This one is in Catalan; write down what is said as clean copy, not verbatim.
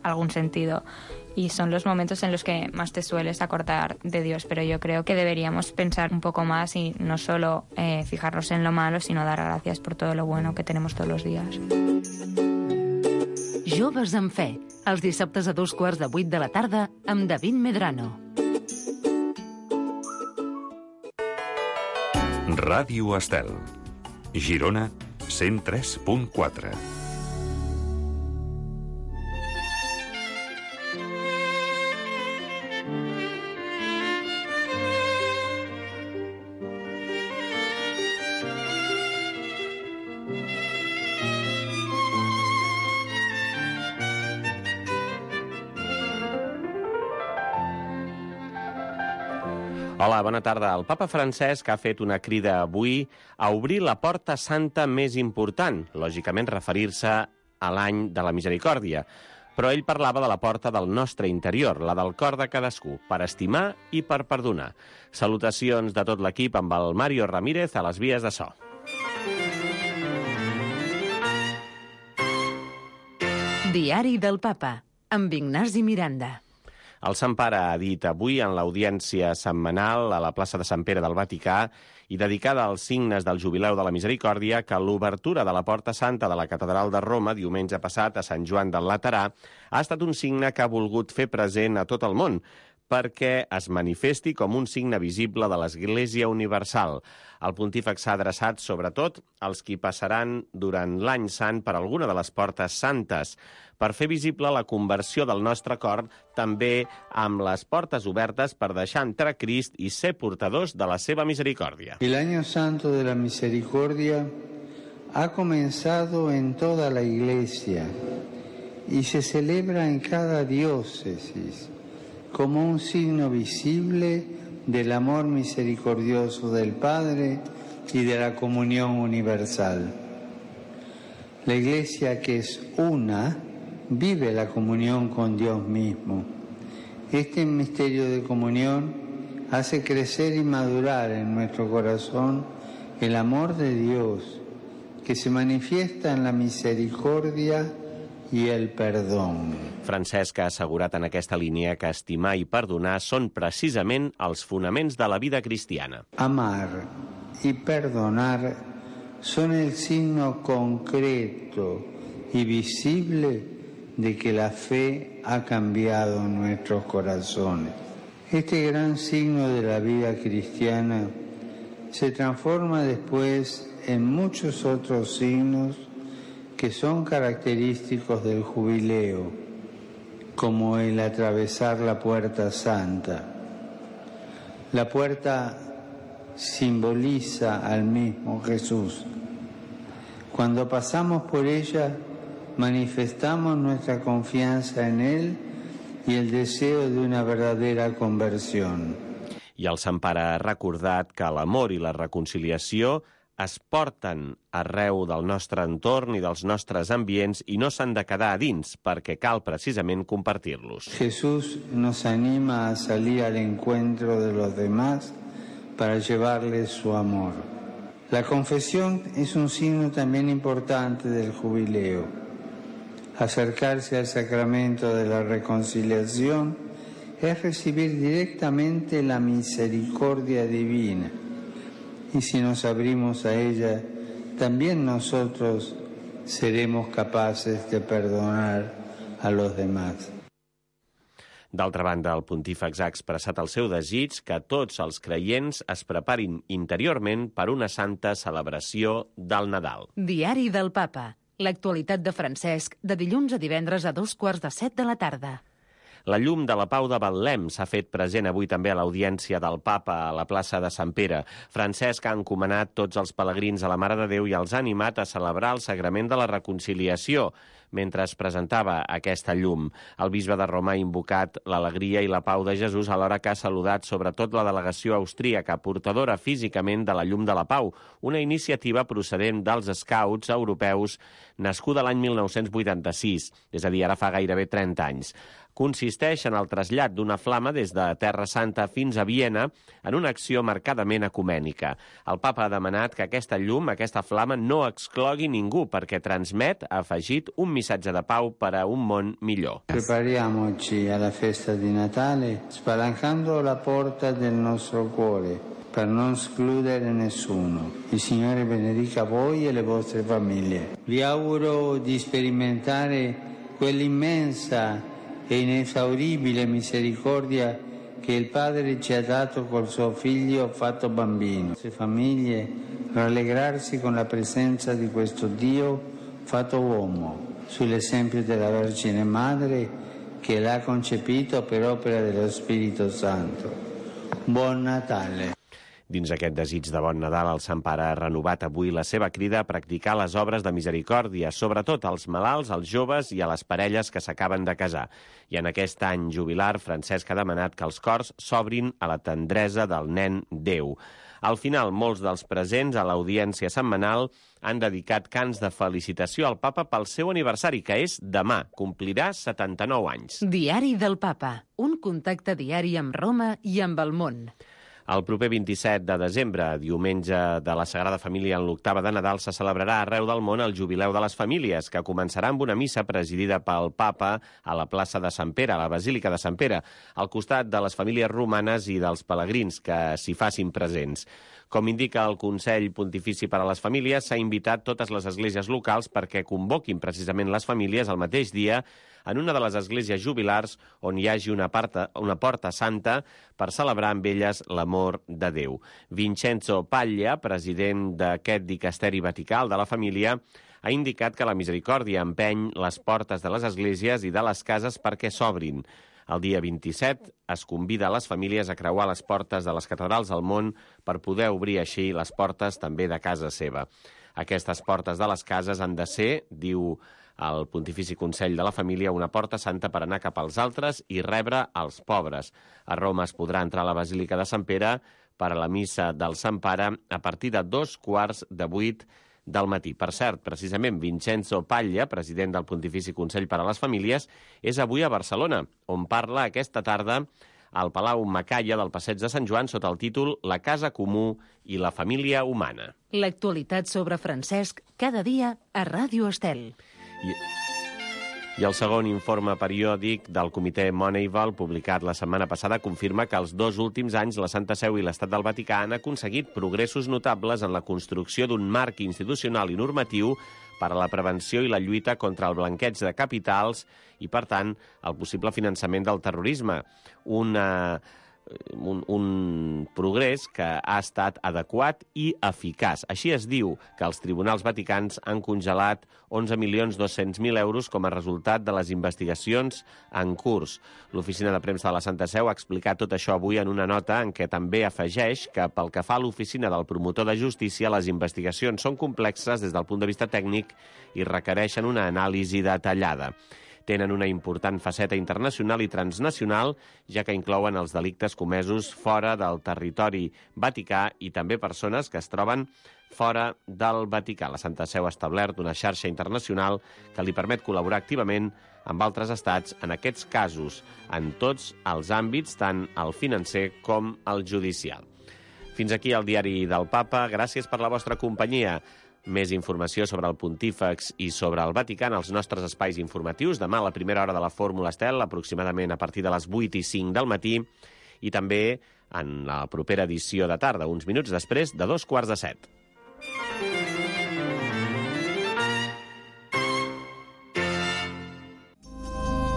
algún sentido. Y son los momentos en los que más te sueles acordar de Dios, pero yo creo que deberíamos pensar un poco más y no solo fijarnos en lo malo, sino dar gracias por todo lo bueno que tenemos todos los días. Joves amb fe, els dissabtes a 7:15 de la tarda amb David Medrano. Ràdio Estel, Girona 103.4. Hola, bona tarda. El papa Francesc ha fet una crida avui a obrir la porta santa més important, lògicament referir-se a l'any de la misericòrdia. Però ell parlava de la porta del nostre interior, la del cor de cadascú, per estimar i per perdonar. Salutacions de tot l'equip amb el Mario Ramírez a les vies de so. Diari del Papa, amb Ignasi Miranda. El Sant Pare ha dit avui en l'audiència setmanal a la plaça de Sant Pere del Vaticà i dedicada als signes del Jubileu de la Misericòrdia que l'obertura de la Porta Santa de la Catedral de Roma diumenge passat a Sant Joan del Laterà ha estat un signe que ha volgut fer present a tot el món perquè es manifesti com un signe visible de l'Església Universal. El pontífex s'ha adreçat sobretot als qui passaran durant l'any sant per alguna de les portes santes, per fer visible la conversió del nostre cor també amb les portes obertes per deixar entrar Crist i ser portadors de la seva misericòrdia. El Año Santo de la Misericordia ha comenzado en toda la Iglesia y se celebra en cada diócesis como un signo visible del amor misericordioso del Padre y de la comunión universal. La Iglesia, que es una, vive la comunión con Dios mismo. Este misterio de comunión hace crecer y madurar en nuestro corazón el amor de Dios, que se manifiesta en la misericordia i el perdó. Francesc ha assegurat en aquesta línia que estimar i perdonar són precisament els fonaments de la vida cristiana. Amar y perdonar son el signo concreto y visible de que la fe ha cambiado nuestros corazones. Este gran signo de la vida cristiana se transforma después en muchos otros signos que son característicos del jubileo, como el atravesar la puerta santa. La puerta simboliza al mismo Jesús. Cuando pasamos por ella, manifestamos nuestra confianza en Él y el deseo de una verdadera conversión. I el Sant Pare ha recordat que l'amor i la reconciliació es porten arreu del nostre entorn i dels nostres ambients i no s'han de quedar a dins, perquè cal precisament compartir-los. Jesús nos anima a salir al encuentro de los demás para llevarles su amor. La confesión es un signo también importante del jubileo. Acercarse al sacramento de la reconciliación es recibir directamente la misericordia divina. Y si nos abrimos a ella, también nosotros seremos capaces de perdonar a los demás. D'altra banda, el pontífex ha expressat el seu desig que tots els creients es preparin interiorment per una santa celebració del Nadal. Diari del Papa. L'actualitat de Francesc, de dilluns a divendres a 7:15 de la tarda. La llum de la Pau de Betlem s'ha fet present avui també a l'audiència del Papa a la plaça de Sant Pere. Francesc ha encomanat tots els pelegrins a la Mare de Déu i els ha animat a celebrar el Sagrament de la Reconciliació mentre es presentava aquesta llum. El bisbe de Roma ha invocat l'alegria i la pau de Jesús alhora que ha saludat sobretot la delegació austríaca, portadora físicament de la llum de la pau, una iniciativa procedent dels Scouts europeus nascuda l'any 1986, és a dir, ara fa gairebé 30 anys. Consisteix en el trasllat d'una flama des de Terra Santa fins a Viena en una acció marcadament ecumènica. El papa ha demanat que aquesta llum, aquesta flama, no exclogui ningú perquè transmet, ha afegit, un missatge de pau per a un món millor. Prepariamoci alla festa di Natale spalancando la porta del nostro cuore per non escludere nessuno. Il Signore benedica voi e le vostre famiglie. Vi auguro di sperimentare quell'immensa e inesauribile misericordia che il Padre ci ha dato col suo Figlio fatto bambino. Le famiglie rallegrarsi con la presenza di questo Dio fatto uomo, sull'esempio della Vergine Madre che l'ha concepito per opera dello Spirito Santo. Buon Natale. Dins aquest desig de bon Nadal, el Sant Pare ha renovat avui la seva crida a practicar les obres de misericòrdia, sobretot als malalts, als joves i a les parelles que s'acaben de casar. I en aquest any jubilar, Francesc ha demanat que els cors s'obrin a la tendresa del nen Déu. Al final, molts dels presents a l'audiència setmanal han dedicat cants de felicitació al papa pel seu aniversari, que és demà. Complirà 79 anys. Diari del Papa. Un contacte diari amb Roma i amb el món. El proper 27 de desembre, diumenge de la Sagrada Família en l'octava de Nadal, se celebrarà arreu del món el Jubileu de les Famílies, que començarà amb una missa presidida pel Papa a la plaça de Sant Pere, a la Basílica de Sant Pere, al costat de les famílies romanes i dels pelegrins que s'hi facin presents. Com indica el Consell Pontifici per a les Famílies, s'ha invitat totes les esglésies locals perquè convoquin precisament les famílies el mateix dia en una de les esglésies jubilars on hi hagi una porta santa per celebrar amb elles l'amor de Déu. Vincenzo Paglia, president d'aquest dicasteri vaticà de la família, ha indicat que la misericòrdia empeny les portes de les esglésies i de les cases perquè s'obrin. El dia 27 es convida a les famílies a creuar les portes de les catedrals del món per poder obrir així les portes també de casa seva. Aquestes portes de les cases han de ser, diu el Pontifici Consell de la Família, una porta santa per anar cap als altres i rebre els pobres. A Roma es podrà entrar a la Basílica de Sant Pere per a la missa del Sant Pare a partir de 7:15 del matí. Per cert, precisament Vincenzo Paglia, president del Pontifici Consell per a les Famílies, és avui a Barcelona, on parla aquesta tarda al Palau Macaya del Passeig de Sant Joan sota el títol La casa comú i la família humana. L'actualitat sobre Francesc cada dia a Ràdio Estel. I el segon informe periòdic del comitè Moneyval, publicat la setmana passada, confirma que els 2 últims anys la Santa Seu i l'Estat del Vaticà han aconseguit progressos notables en la construcció d'un marc institucional i normatiu per a la prevenció i la lluita contra el blanqueig de capitals i, per tant, el possible finançament del terrorisme. Un progrés que ha estat adequat i eficaç. Així es diu que els tribunals vaticans han congelat 11.200.000 euros com a resultat de les investigacions en curs. L'oficina de premsa de la Santa Seu ha explicat tot això avui en una nota en què també afegeix que pel que fa a l'oficina del promotor de justícia, les investigacions són complexes des del punt de vista tècnic i requereixen una anàlisi detallada. Tenen una important faceta internacional i transnacional, ja que inclouen els delictes comesos fora del territori vaticà i també persones que es troben fora del Vaticà. La Santa Seu ha establert una xarxa internacional que li permet col·laborar activament amb altres estats en aquests casos, en tots els àmbits, tant el financer com el judicial. Fins aquí el diari del Papa. Gràcies per la vostra companyia. Més informació sobre el Pontífex i sobre el Vaticà en els nostres espais informatius. Demà a la primera hora de la Fórmula Estel, aproximadament a partir de les 8:05 del matí, i també en la propera edició de tarda, uns minuts després de 7:15.